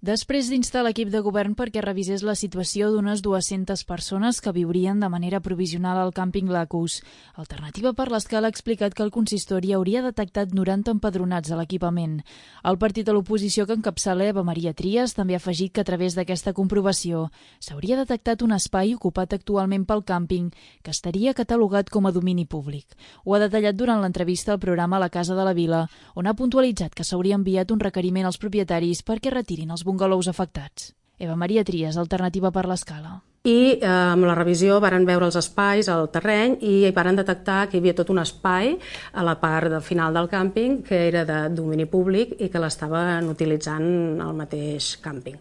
Després d'instar l'equip de govern perquè revisés la situació d'unes 200 persones que viurien de manera provisional al càmping Lacus, Alternativa per l'Escala ha explicat que el consistori hauria detectat 90 empadronats a l'equipament. El partit de l'oposició que encapçala Eva Maria Trias també ha afegit que a través d'aquesta comprovació s'hauria detectat un espai ocupat actualment pel càmping que estaria catalogat com a domini públic. Ho ha detallat durant l'entrevista al programa La Casa de la Vila, on ha puntualitzat que s'hauria enviat un requeriment als propietaris perquè retirin els bungalous afectats. Eva Maria Trias, Alternativa per l'Escala. I amb la revisió varen veure els espais al terreny i varen detectar que hi havia tot un espai a la part final del càmping que era de domini públic i que l'estaven utilitzant al mateix càmping.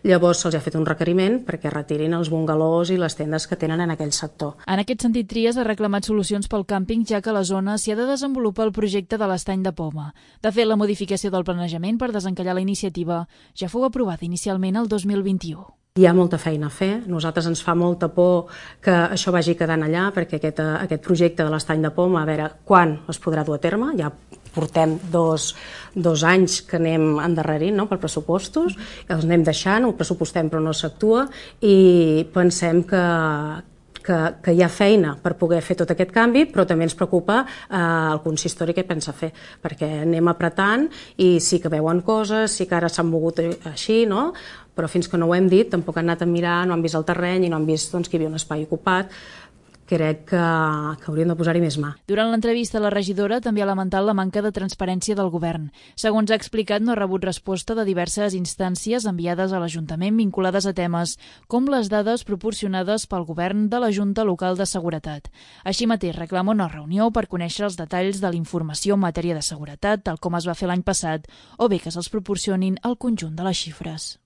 Llavors se'ls ha fet un requeriment perquè retirin els bungalous i les tendes que tenen en aquell sector. En aquest sentit, Trias ha reclamat solucions pel càmping, ja que a la zona s'hi ha de desenvolupar el projecte de l'Estany de Poma. De fet, la modificació del planejament per desencallar la iniciativa ja fou aprovada inicialment el 2021. Hi ha molta feina a fer. Nosaltres ens fa molta por que això vagi quedant allà, perquè aquest projecte de l'Estany de Poma, a veure quan es podrà dur a terme. Ja portem dos anys que anem endarrerint, no?, per pressupostos, els anem deixant, ho pressupostem però no s'actua, i pensem que hi ha feina per poder fer tot aquest canvi, però també ens preocupa el consistori què pensa fer, perquè anem apretant i sí que veuen coses, sí que ara s'han mogut així, no?, però fins que no ho hem dit tampoc han anat a mirar, no han vist el terreny i no han vist que hi havia un espai ocupat. Crec que hauríem de posar-hi més mà. Durant l'entrevista, la regidora també ha lamentat la manca de transparència del govern. Segons ha explicat, no ha rebut resposta de diverses instàncies enviades a l'Ajuntament vinculades a temes com les dades proporcionades pel govern de la Junta Local de Seguretat. Així mateix, reclama una reunió per conèixer els detalls de la informació en matèria de seguretat, tal com es va fer l'any passat, o bé que se'ls proporcionin el conjunt de les xifres.